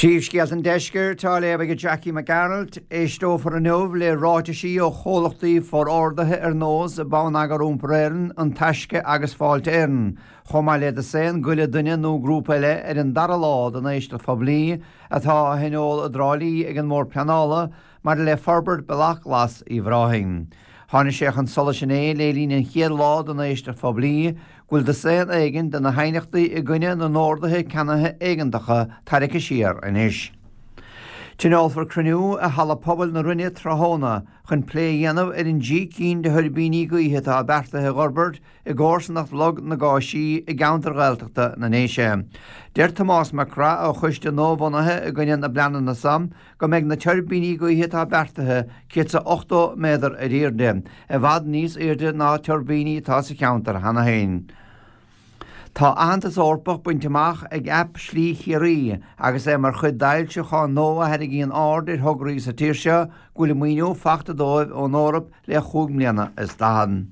Príomhscéalta an Deiscirt á léamh ag Jackie Mac Gearailt. Éisteofar inniu le ráitisí ó chomhlachtaí forordaithe ar nós Bonneagar Iompair Éireann, An Taisce agus Fáilte Éireann, chomh maith le dosaen go leith duine nó grúpa eile ar an dara lá den éisteacht phoiblí atá á thionól i dTrá Lí ag an mBord Pleanála maidir le forbairt Bealach Glas Uíbh Ráthaigh. Tháinig sé chun solais inné le linn an chéad lá den éisteacht phoiblí go bhfuil dosaen éigin de na haighneachtaí i gcoinne na n-orduithe ceannaithe éigeantacha tarraicthe siar anois. Tionólfar cruinniú i Halla Pobail na Rinne tráthnóna chun plé a dhéanamh ar an dtrí cinn de thuirbíní gaoithe atá beartaithe a dh'fhorbairt i gcomharsanacht Log na gCáisí i gceantar Ghaeltachta na nDéise. Deir Tomás Mac Craith ó choiste nua-bhunaithe i gcoinne na bpleananna san go mbeidh na tuirbíní gaoithe atá beartaithe 180 méadar ar airde, i bhfad níos airde ná tuirbíní atá sa cheantar cheana féin. Tá aitheantas Eorpach bainte amach ag aip Slí Chiarraí agus é mar chuid d'fhoilseachán nua a tharraingíonn aird ar thograí sa tír seo go bhfuil maoiniú fachta dóibh ón Eoraip le chúig mbliana is daichead.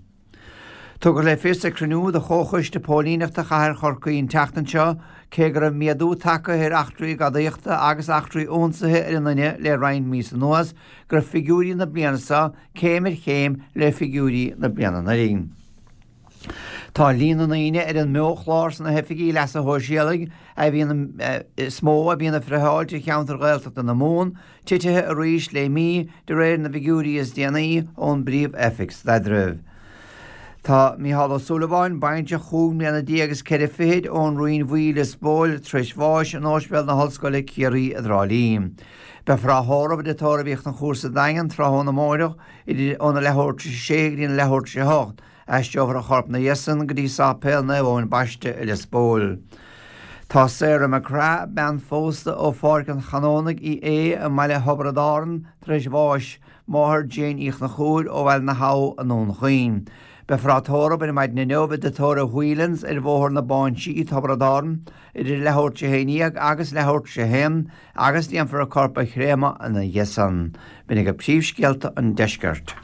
Tugadh le fios ag cruinniú de Chomhchoiste Póilíneachta Chathair Chorcaí an tseachtain seo, cé go raibh méadú tagtha ar eachtraí gadaíochta agus eachtraí ionsaithe ar an nduine le roinnt míosa anuas, go raibh figiúirí na bliana seo céim ar chéim le figiúirí na bliana anuraidh. Tá líon na ndaoine ar an mBeo-Chlár sna hoifigí leasa shóisialaigh a bhíonn is mó a bhíonn ag friotháil trí cheantar Ghaeltachta na Mumhan, Titithe arís le mí, de réir na bhfigiúirí is déanaí ón bPríomh-Oifig Staidrimh. Tá Mícheál Ó Súilleabháin, baintreach chúig mbliana déag is ceithre fichid ón Rinn Bhuí, Lios Póil, tar éis bháis in Ospidéal na hOllscoile, Ciarraí i dTrá Lí. Beifear á thórramh i dTigh Tórraimh Uí Chonchúir sa Daingean tráthnóna amáireach idir óna leathuair tar éis a sé go dtí na leathuair tar éis a hocht. Aistreofar a chorp ina dhiaidh san go dtí Sáipéal Naomh Eoin Baiste i Lios Póil. Tá Sarah McGrath, bean phósta ó Pháirc an Chanónaigh Uí Aodha i mbaile Thiobraid Árann tar éis bháis, máthair Jane Uí Chonchúir ó Bhaile na hAbha i nDún Chaoin. Beifear á tórramh ar maidin inniu i dTigh Tórraimh Whelans ar Bhóthar na Báinsí, Tiobraid Árann, idir leathuair tar éis a 11 agus leathuair tar éis a haon agus déanfar a corp a chréamadh ina dhiaidh san. B'in agaibh príomhscéalta an deiscirt.